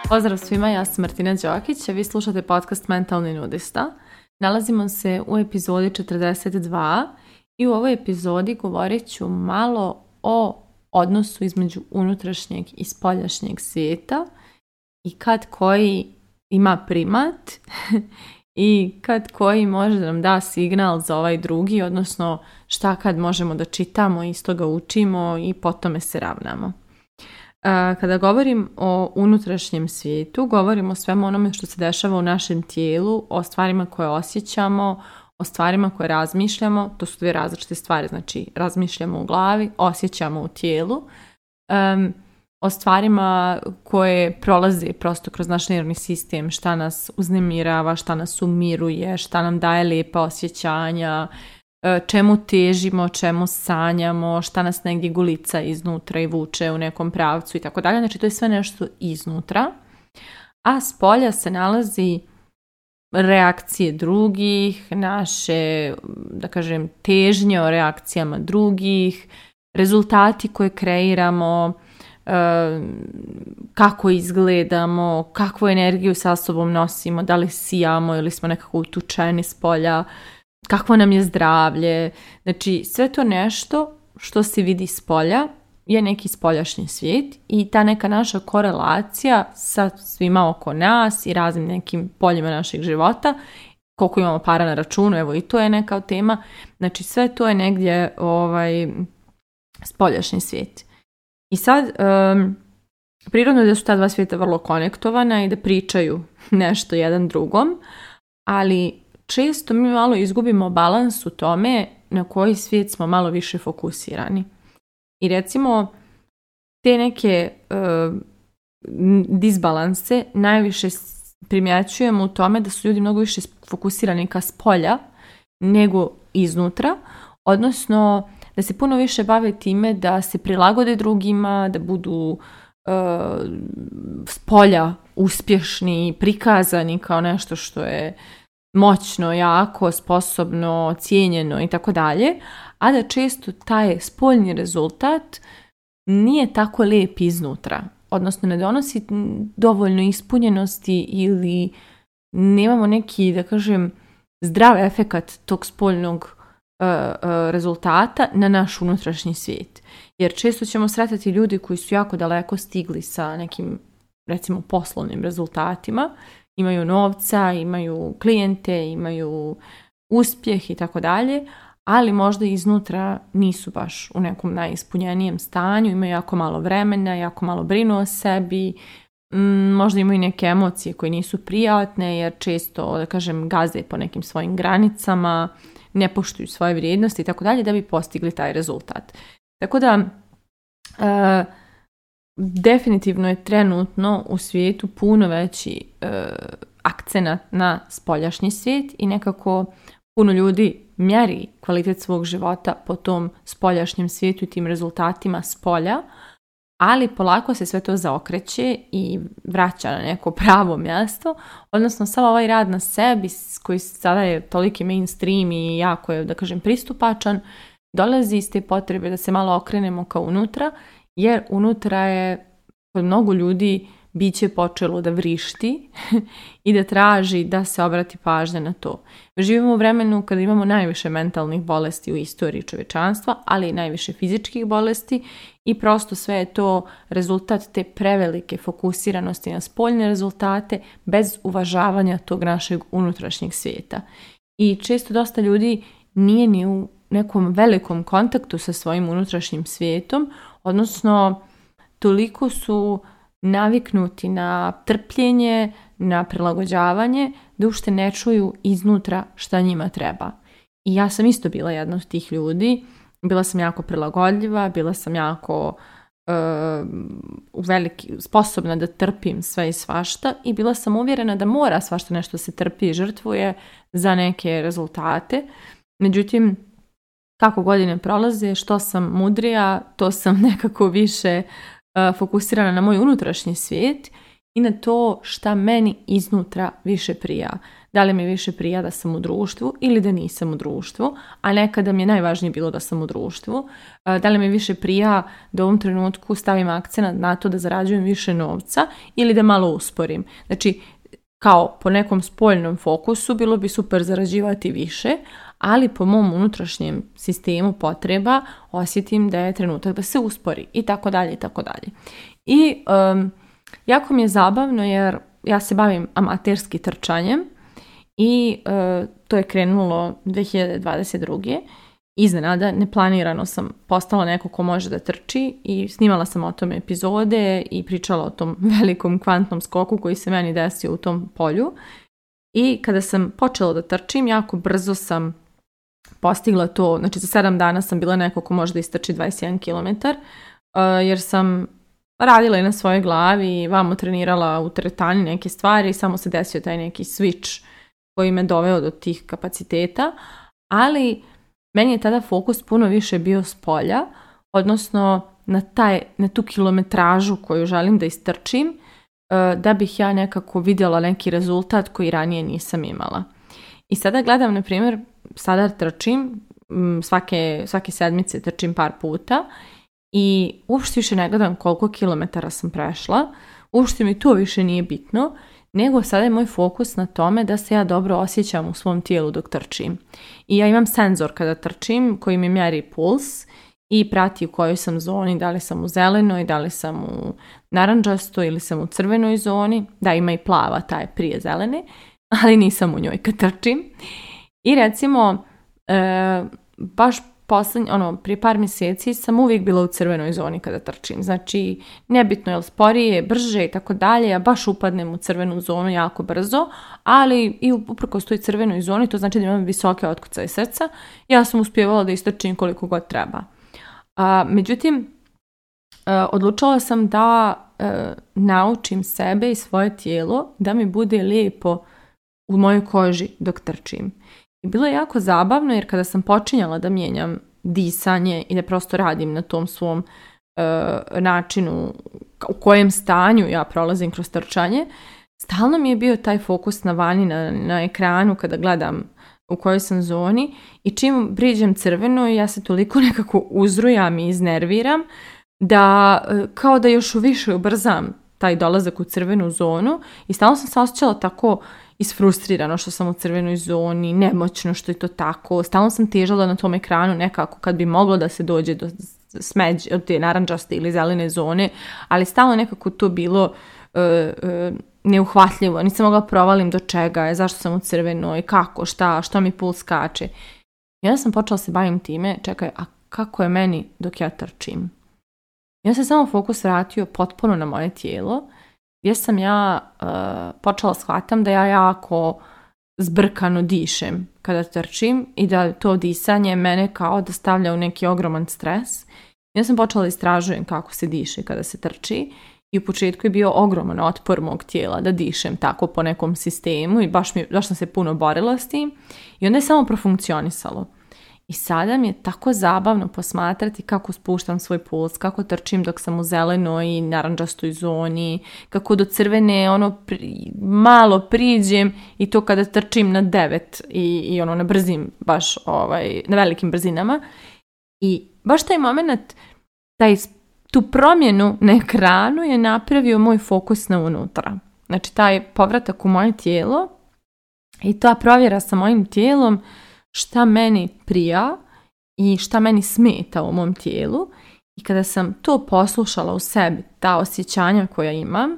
Pozdrav svima, ja sam Martina Đokić, a vi slušate podcast Mentalni nudista. Nalazimo se u epizodi 42 i u ovoj epizodi govorit ću malo o odnosu između unutrašnjeg i spoljašnjeg svijeta i kad koji ima primat i kad koji može da nam da signal za ovaj drugi, odnosno šta kad možemo da čitamo i iz toga učimo i po tome se ravnamo. Kada govorim o unutrašnjem svijetu, govorim o svemu onome što se dešava u našem tijelu, o stvarima koje osjećamo, o stvarima koje razmišljamo. To su dvije različite stvari, znači razmišljamo u glavi, osjećamo u tijelu, o stvarima koje prolaze prosto kroz naš nervni sistem, šta nas uznemirava, šta nas umiruje, šta nam daje lijepa osjećanja, čemu težimo, čemu sanjamo, šta nas negdje gulica iznutra i vuče u nekom pravcu i tako dalje. Znači to je sve nešto iznutra, a spolja se nalazi reakcije drugih, naše, da kažem, težnje o reakcijama drugih, rezultati koje kreiramo, kako izgledamo, kakvu energiju sa sobom nosimo, da li sijamo ili smo nekako utučeni spolja, kakvo nam je zdravlje. Znači sve to nešto što se vidi spolja je neki spoljašnji svijet i ta neka naša korelacija sa svima oko nas i raznim nekim poljima našeg života, koliko imamo para na računu, evo i to je neka tema. Znači sve to je negdje spoljašnji svijet. I sad prirodno je da su ta dva svijeta vrlo konektovana i da pričaju nešto jedan drugom, ali često mi malo izgubimo balans u tome na koji svijet smo malo više fokusirani. I recimo te neke disbalanse najviše primjećujemo u tome da su ljudi mnogo više fokusirani ka spolja nego iznutra, odnosno da se puno više bave time da se prilagode drugima, da budu spolja uspješni, prikazani kao nešto što je moćno, jako, sposobno, cijenjeno i tako dalje, a da često taj spoljni rezultat nije tako lijep iznutra, odnosno ne donosi dovoljno ispunjenosti ili nemamo neki, da kažem, zdrav efekat tog spoljnog rezultata na naš unutrašnji svijet. Jer često ćemo sretati ljudi koji su jako daleko stigli sa nekim, recimo, poslovnim rezultatima, imaju novca, imaju klijente, imaju uspjeh i tako dalje, ali možda iznutra nisu baš u nekom najispunjenijem stanju, imaju jako malo vremena, jako malo brinu o sebi, možda imaju neke emocije koje nisu prijatne jer često, da kažem, gaze po nekim svojim granicama, ne poštuju svoje vrijednosti i tako dalje da bi postigli taj rezultat. Tako da definitivno je trenutno u svijetu puno veći akcenat na spoljašnji svijet i nekako puno ljudi mjeri kvalitet svog života po tom spoljašnjem svijetu i tim rezultatima spolja, ali polako se sve to zaokreće i vraća na neko pravo mjesto, odnosno sav ovaj rad na sebi koji sada je toliki mainstream i jako je, da kažem, pristupačan, dolazi iz te potrebe da se malo okrenemo ka unutra, jer unutra je kod mnogo ljudi biće počelo da vrišti i da traži da se obrati pažnja na to. Živimo u vremenu kada imamo najviše mentalnih bolesti u istoriji čovječanstva, ali i najviše fizičkih bolesti i prosto sve je to rezultat te prevelike fokusiranosti na spoljne rezultate bez uvažavanja tog našeg unutrašnjeg svijeta. I često dosta ljudi nije ni u nekom velikom kontaktu sa svojim unutrašnjim svijetom, odnosno toliko su naviknuti na trpljenje, na prilagođavanje, da uopšte ne čuju iznutra šta njima treba. I ja sam isto bila jedna od tih ljudi. Bila sam jako prilagodljiva, bila sam jako sposobna da trpim sve i svašta i bila sam uvjerena da mora svašta nešto se trpi i žrtvuje za neke rezultate. Međutim, kako godine prolaze, što sam mudrija, to sam nekako više fokusirana na moj unutrašnji svijet i na to šta meni iznutra više prija. da li mi više prija da sam u društvu ili da nisam u društvu, a nekada mi je najvažnije bilo da sam u društvu, da li mi više prija da u ovom trenutku stavim akcenat na to da zarađujem više novca ili da malo usporim. Znači, kao po nekom spoljnom fokusu bilo bi super zarađivati više, ali po mom unutrašnjem sistemu potreba osjetim da je trenutak da se uspori i tako dalje i tako dalje. I jako mi je zabavno jer ja se bavim amaterski trčanjem i to je krenulo 2022. Iznenada, neplanirano sam postala neko ko može da trči i snimala sam o tome epizode i pričala o tom velikom kvantnom skoku koji se meni desio u tom polju. I kada sam počela da trčim, jako brzo sam postigla to, znači za 7 dana sam bila neko ko može da istrči 21 km, jer sam radila i na svojoj glavi i vamo trenirala u teretani neke stvari i samo se desio taj neki switch koji me doveo do tih kapaciteta, ali meni je tada fokus puno više bio s polja, odnosno na tu kilometražu koju želim da istrčim, da bih ja nekako vidjela neki rezultat koji ranije nisam imala. I sada gledam, na primjer, sada trčim, svake sedmice trčim par puta i uopšte više ne gledam koliko kilometara sam prešla, uopšte mi to više nije bitno, nego sada je moj fokus na tome da se ja dobro osjećam u svom tijelu dok trčim. I ja imam senzor kada trčim koji mi mjeri puls i prati u kojoj sam zoni, da li sam u zelenoj, da li sam u narandžastoj ili sam u crvenoj zoni. Da, ima i plava, ta je prije zelene, ali nisam u njoj kad trčim. I recimo, baš prije par mjeseci sam uvijek bila u crvenoj zoni kada trčim. Znači, nebitno je li sporije, brže i tako dalje, ja baš upadnem u crvenu zonu jako brzo, ali i uprkos toj crvenoj zoni, to znači da imam visoke otkucaje srca, ja sam uspijevala da istrčim koliko god treba. Međutim, odlučila sam da naučim sebe i svoje tijelo da mi bude lijepo u mojoj koži dok trčim. I bilo je jako zabavno jer kada sam počinjala da mijenjam disanje i da prosto radim na tom svom načinu u kojem stanju ja prolazim kroz trčanje, stalno mi je bio taj fokus na vani, na ekranu kada gledam u kojoj sam zoni i čim priđem crveno ja se toliko nekako uzrujam i iznerviram da kao da još više ubrzam taj dolazak u crvenu zonu i stalno sam se osjećala tako isfrustrirano što sam u crvenoj zoni, nemoćno što je to tako, stalno sam težala na tom ekranu nekako kad bi moglo da se dođe do smeđe, od te narandžaste ili zelene zone, ali stalno nekako to bilo neuhvatljivo, nisam mogla provalim do čega je, zašto sam u crvenoj, kako, što mi puls skače. I onda sam počela se bavim time, čekaj, a kako je meni dok ja trčim? I onda se samo fokus vratio potpuno na moje tijelo, gdje sam ja počela shvatam da ja jako zbrkano dišem kada trčim i da to disanje mene kao da stavlja u neki ogroman stres. I onda sam počela da istražujem kako se diše kada se trči i u početku je bio ogroman otpor mog tijela da dišem tako po nekom sistemu i baš sam se puno borila s tim i onda je samo profunkcionisalo. I sada mi je tako zabavno posmatrati kako spuštam svoj puls, kako trčim dok sam u zelenoj i narandžastoj zoni, kako do crvene malo priđem i to kada trčim na 9 i na brzim, baš na velikim brzinama. I baš taj moment, tu promjenu na ekranu je napravio moj fokus na unutra. Znači taj povratak u moje tijelo i ta provjera sa mojim tijelom šta meni prija i šta meni smeta u mom tijelu i kada sam to poslušala u sebi, ta osjećanja koja imam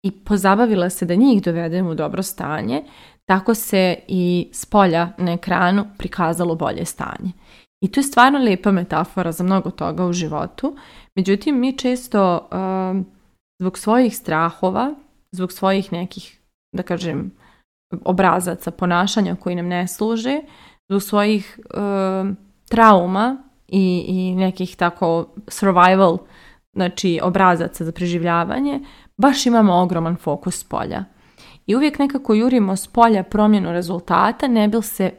i pozabavila se da njih dovedem u dobro stanje, tako se i s polja na ekranu prikazalo bolje stanje. I to je stvarno lijepa metafora za mnogo toga u životu. Međutim, mi često zbog svojih strahova, zbog svojih nekih, da kažem, obrazaca ponašanja koji nam ne služe, zbog svojih trauma i nekih tako survival, znači obrazaca za preživljavanje, baš imamo ogroman fokus s polja. I uvijek nekako jurimo s polja promjenu rezultata, ne bi se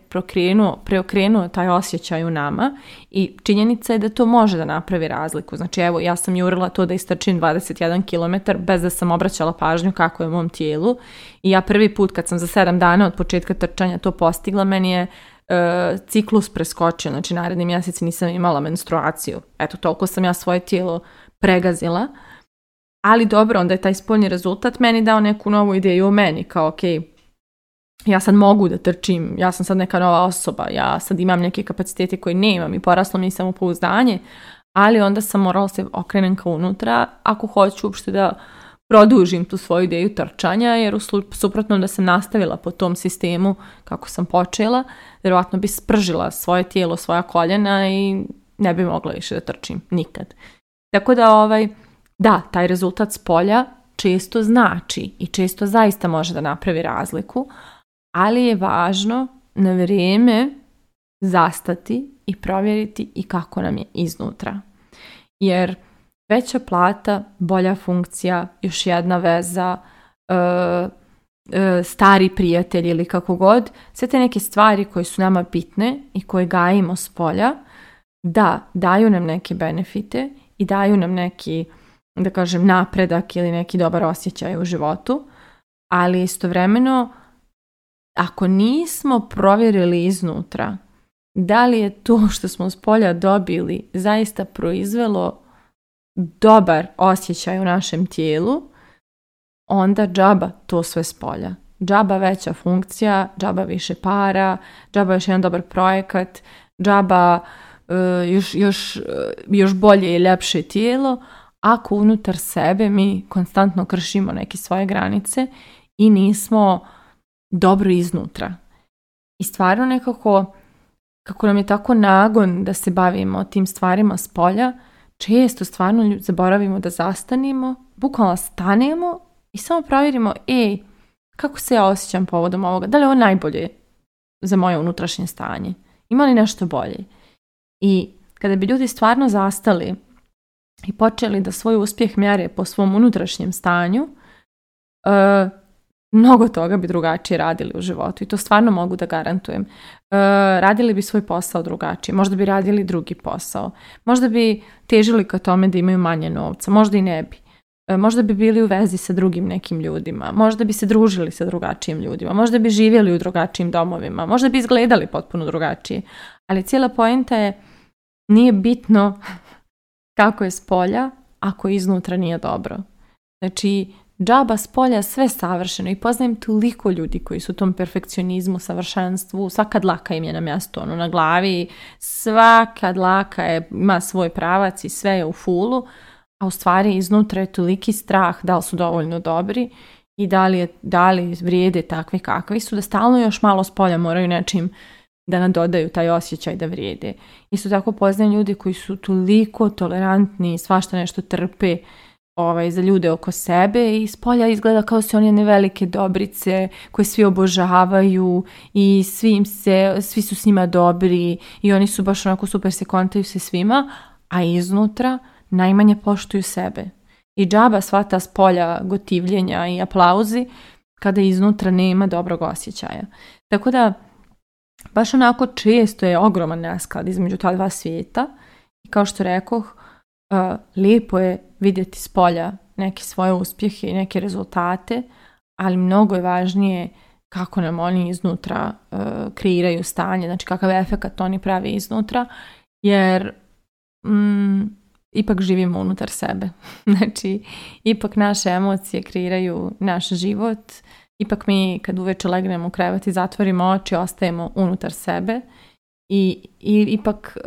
preokrenuo taj osjećaj u nama i činjenica je da to može da napravi razliku. Znači evo, ja sam jurila to da istrčim 21 km bez da sam obraćala pažnju kako je u mom tijelu i ja prvi put kad sam za 7 dana od početka trčanja to postigla, meni je ciklus preskočio, znači naredni mjesec nisam imala menstruaciju. Eto, toliko sam ja svoje tijelo pregazila. Ali dobro, onda je taj spoljni rezultat meni dao neku novu ideju o meni, kao ok, ja sad mogu da trčim, ja sam sad neka nova osoba, ja sad imam neke kapacitete koje nemam i poraslo mi samopouzdanje, ali onda sam morala se okrenem ka unutra ako hoću uopšte da produžim tu svoju ideju trčanja, jer u suprotnom da sam nastavila po tom sistemu kako sam počela, vjerojatno bi spržila svoje tijelo, svoja koljena i ne bi mogla više da trčim, nikad. Tako da da, taj rezultat s polja često znači i često zaista može da napravi razliku, ali je važno na vrijeme zastati i provjeriti i kako nam je iznutra. Jer veća plata, bolja funkcija, još jedna veza, stari prijatelj ili kako god, sve te neke stvari koje su nama bitne i koje gajimo s polja, da, daju nam neke benefite i daju nam neki, da kažem, napredak ili neki dobar osjećaj u životu, ali istovremeno ako nismo provjerili iznutra da li je to što smo s polja dobili zaista proizvelo dobar osjećaj u našem tijelu, onda džaba to sve s polja. Džaba veća funkcija, džaba više para, džaba još jedan dobar projekat, džaba još bolje i ljepše tijelo, ako unutar sebe mi konstantno kršimo neke svoje granice i nismo dobro iznutra. I stvarno nekako, kako nam je tako nagon da se bavimo tim stvarima s polja, često stvarno zaboravimo da zastanimo, bukvalno stanemo i samo provjerimo, kako se ja osjećam povodom ovoga, da li je ovo najbolje za moje unutrašnje stanje, ima li nešto bolje. I kada bi ljudi stvarno zastali i počeli da svoj uspjeh mjere po svom unutrašnjem stanju, mnogo toga bi drugačije radili u životu i to stvarno mogu da garantujem. Radili bi svoj posao drugačije, možda bi radili drugi posao, možda bi težili ka tome da imaju manje novca, možda i ne bi. Možda bi bili u vezi sa drugim nekim ljudima, možda bi se družili sa drugačijim ljudima, možda bi živjeli u drugačijim domovima, možda bi izgledali potpuno drugačije. Ali cijela poenta je, nije bitno kako je s polja ako iznutra nije dobro. Znači, džaba s polja sve savršeno i poznajem toliko ljudi koji su u tom perfekcionizmu, savršenstvu, svaka dlaka im je na mjestu, na glavi, svaka dlaka ima svoj pravac i sve je u fulu, a u stvari iznutra je toliki strah da li su dovoljno dobri i da li vrijede takvi kakvi su, da stalno još malo s polja moraju nečim da nadodaju taj osjećaj da vrijede. Isto tako poznajem ljudi koji su toliko tolerantni, svašta nešto trpe za ljude oko sebe i s polja izgleda kao su oni jedne velike dobrice koje svi obožavaju i svi su s njima dobri i oni su baš onako super, se kontaju se svima, a iznutra najmanje poštuju sebe. I džaba sva ta s polja gotivljenja i aplauzi kada iznutra nema dobrog osjećaja. Tako da baš onako često je ogroman nesklad između ta dva svijeta i kao što rekoh, lijepo je vidjeti s polja neke svoje uspjehe i neke rezultate, ali mnogo je važnije kako nam oni iznutra kreiraju stanje, znači kakav efekat oni pravi iznutra, jer ipak živimo unutar sebe. Znači, ipak naše emocije kreiraju naš život, ipak mi kad uveče legnemo u krevet i zatvorimo oči, ostajemo unutar sebe i ipak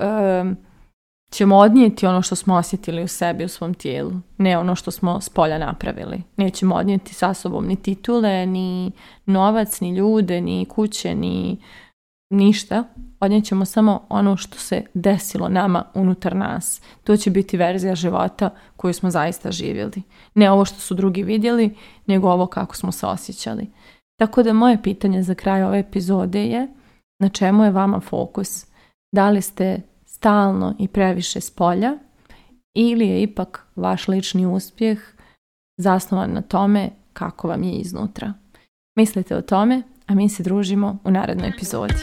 ćemo odnijeti ono što smo osjetili u sebi, u svom tijelu, ne ono što smo s polja napravili. Nećemo odnijeti sa sobom ni titule, ni novac, ni ljude, ni kuće, ni ništa. Odnijećemo samo ono što se desilo nama unutar nas. To će biti verzija života koju smo zaista živjeli. Ne ovo što su drugi vidjeli, nego ovo kako smo se osjećali. Tako da moje pitanje za kraj ove epizode je: na čemu je vama fokus? Da li ste stalno i previše s polja ili je ipak vaš lični uspjeh zasnovan na tome kako vam je iznutra? Mislite o tome, a mi se družimo u narednoj epizodi.